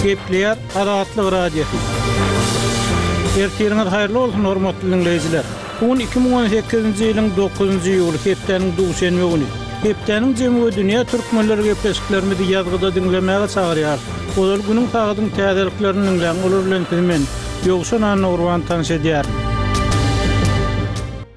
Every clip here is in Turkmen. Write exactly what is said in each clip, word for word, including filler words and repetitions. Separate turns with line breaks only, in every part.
Gepleýär Azatlyk Radiosy. Ertiriňiz haýyrly bolsun, hormatly diňleýjiler. Bu gün iki müň on sekizinji ýylyň dokuzynjy iýuly, hepdäniň duşenbe güni. Hepdäniň jemi we dünýä türkmenleri gepleşiklerimizi ýazgyda diňlemäge çagyrýar. Ozal günüň sagadyň täzeliklerini diňläň, olar bilen sizi men, Ýowşan Annagurban tanyş edýärin.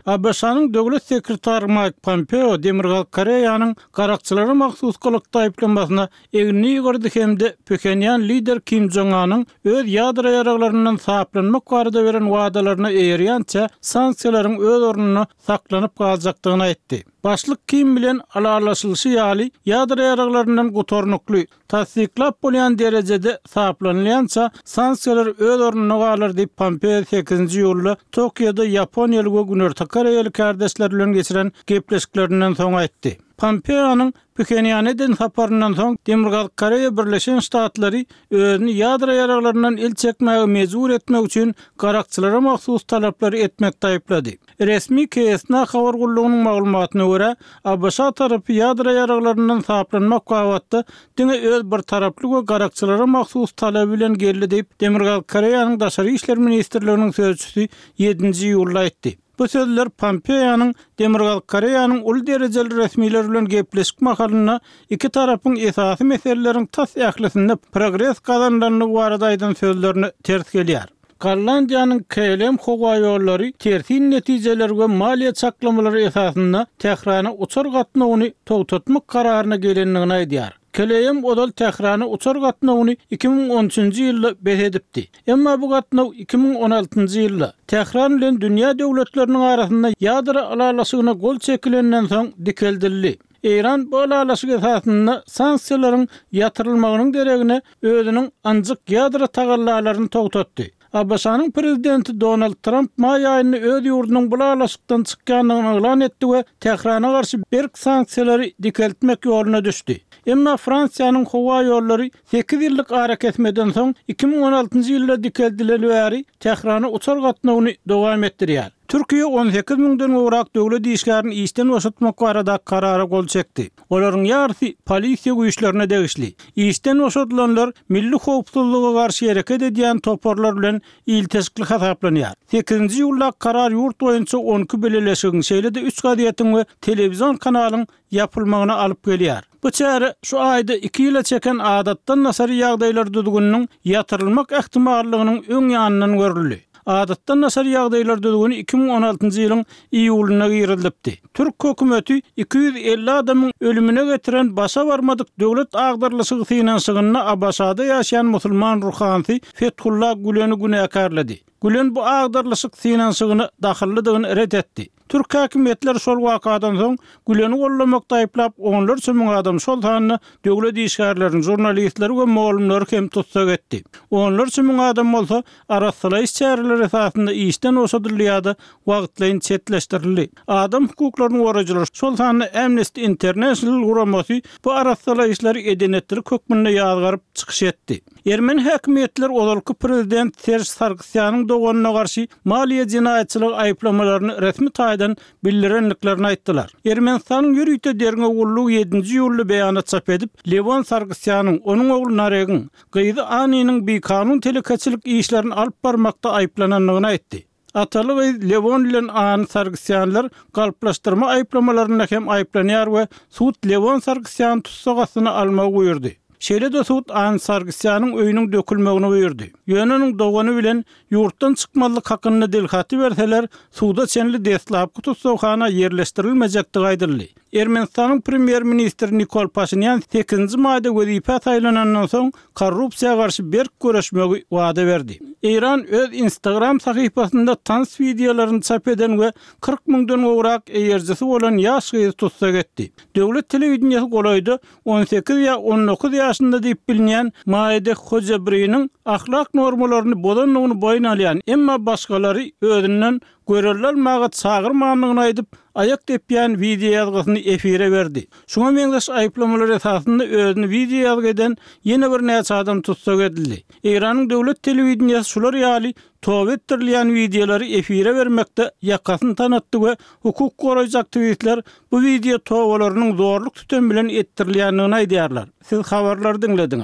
ABŞ-nyň döwlet sekretary Mike Pompeo Demirgazyk Koreýanyň garakçylara mahsus gylykda aýyplamasyna egnini ýygyrdy hem-de Phenýan lider Kim Jong-anyň öz ýadro ýaraglaryndan saplanmak barada beren wadalaryna eýerýänçä sanksiýalaryň öz ornunda saklanyp galjakdygyny aýtdy. Başlyk Kim bilen ylalaşylyşy ýaly ýadro ýaraglaryndan gutarnykly, tassyklap bolýan derejede saplanylýança sanksiýalar öz ornunda galar diýip Pompeo sekizinji iýulda Tokioda Ýaponiýaly we Günorta Koreýaly kardeşler bilen geçiren gepleşiklerinden soň aýtdy. Pompeo'nyň Phenýana eden saparyndan soň Demirgazyk Koreýa Birleşen Ştatlary özüni ýadro ýaraglaryndan el çekmäge mejbur etmek üçin garakçylara mahsus talaplary etmek aýyplady. Resmi K S N A habar gullugynyň maglumatyna görä, A B Ş tarapy ýadro ýaraglaryndan saplanmak babatda diňe öz bir taraply we garakçylara mahsus talaby bilen geldi diýip Demirgazyk Koreýanyň Daşary işler ministrliginiň sözçüsi ýedinji iýulda aýtdy. Bu sözler Pompeo'nyň Demirgazyk Koreýanyň uly derejeli resmiler bilen gepleşik mahalynda iki tarapyň esasy meseleleriň tas ählisinde progres gazanylandygy barada aýdan sözlerine ters gelýär. Gollandiýanyň K L M howa ýollary tersin netijeler we maliýe çaklamalary esasynda Tährana uçar gatnawyny togtatmak kararyna gelendigini aýdýar. K L M ozal Tährana uçar gatnawyny iki müň on üçünji ýylda bes edipdi. Emma bu gatnaw iki müň on altynjy ýylda Tähran bilen dünýä döwletleriniň arasynda ýadro ylalaşygyna gol çekilenden soň dikeldildi. Eýran bu ylalaşyk esasynda sanksiýalaryň ýatyrylmagynyň deregine özüniň anjyk ýadro tagallalaryny togtatdy. A B Ş-nyň prezidenti Donald Trump maý aýynda öz ýurdunyň bu ylalaşykdan çykýandygyny yglan etdi we Tährana garşy berk sanksiýalary dikeltmek ýoluna düşdi. Emma Fransiýanyň howa ýollary sekiz ýyllyk arakesmeden soň iki müň on altynjy ýylda dikeldileli bäri Tährana uçar gatnawyny dowam etdirýär. Türkiýe on sekiz müňden gowrak döwlet işgärini işden boşatmak barada karara gol çekdi. Olaryň ýarysy polisiýa güýçlerine degişli. Işden boşadylanlar milli howpsuzlyga garşy hereket edýän toparlar bilen ilteşikli hasaplanýar. Sekizinji iýulda karar ýurt boýunça on iki bileleşigiň, şeýle-de üç gazetiň we telewizion kanalyň ýapylmagyna alyp gelýär. Bu çäre şu aýda iki ýyla çeken adatdan daşary ýagdaýlar düzgüniniň ýatyrylmak ähtimallygynyň öň ýanyndan görüldi. Adatdan daşary ýagdaýlar düzgüni iki müň on altynjy ýylyň iýulynda girizilipdi. Türk hökümeti iki ýüz elli adamyň ölümüne getiren başa barmadyk döwlet agdarlyşygy synanyşygynda A B Ş-da ýaşaýan musulman ruhanysy Fethullah Güleni günäkärledi. Gülen bu agdarlyşyk synanyşygyny dahyllydygyny ret etdi. Türk hakimiýetleri şol wakadan soň Güleni gollamakda aýyplap onlarça müň adam, şol sanda döwlet işgärlerini, jurnalistleri we mugallymlary hem tutsak etdi. Onlarça müň adam bolsa arassalaýyş çäreleri esasynda işden boşadyldy ýa-da wagtlaýyn çetleşdirildi. Adam hukuklaryny goraýjylar, şol sanda Amnesty International guramasy bu arassalaýyşlary edenetlilik hökmünde ýazgaryp çykyş etdi. Ermeni hakimiýetler ozalky prezident Serj Sargsýanyň doganyna garşy maliýe jenaýatçylygy aýyplamalaryny resmi taýdan bildirendiklerini aýtdylar. Ermenistanyň ýörite derňew gullugy ýedinji iýulda beýanat çap edip, Lewon Sargsýanyň, onuň ogly Naregiň, gyzy Aniniň bikanun telekeçilik işlerini alyp barmakda aýyplanandygyny aýtdy. Ataly gyz Lewon bilen Ani Sargsýanlar galplaşdyrma aýyplamalarynda hem aýyplanýar we sud Lewon Sargsýany tussag astyna almagy buýurdy. Şeýle-de sud Ani Sargsýanyň öýüniň dökülmegini buýurdy. Ýöne onuň dogany bilen ýurtdan çykmazlyk hakynda dilhaty berseler, suda çenli deslapky tussaghana ýerleşdirilmejekdigi aýdyldy. Ermenistanyň premýer-ministri Nikol Paşinyan sekizinji maýda wezipä saýlanandan soň korrupsiýa garşy berk görüşmegi wada berdi. Eýran öz Instagram sahypasynda tans wideolaryny çap eden we kyrk müňden gowrak eýerjisi bolan ýaş gyzy tutsak etdi. Döwlet telewideniýesi golaýda on sekiz ýa on dokuz ýaşynda diýip bilinýän Maide Hojabriniň ahlak normalaryny bozandygyny boýun alýan, emma başgalary özünden görelde almaga çagyrmandygyny aýdyp, aýak depýän wideo ýazgysyny efire berdi. Şuňa meňzeş aýyplamalar esasynda özüni wideo ýazgy eden ýene bir näçe adam tutsak edildi. Eýranyň döwlet telewideniýesi şular ýaly toba etdirilýän wideolary efire bermekde ýakasyny tanatdy we hukuk goraýjy aktiwistler bu wideo tobalarynyň zorluk sütem bilen etdirilýändigini aýdýarlar. Siz habarlary diňlediňiz.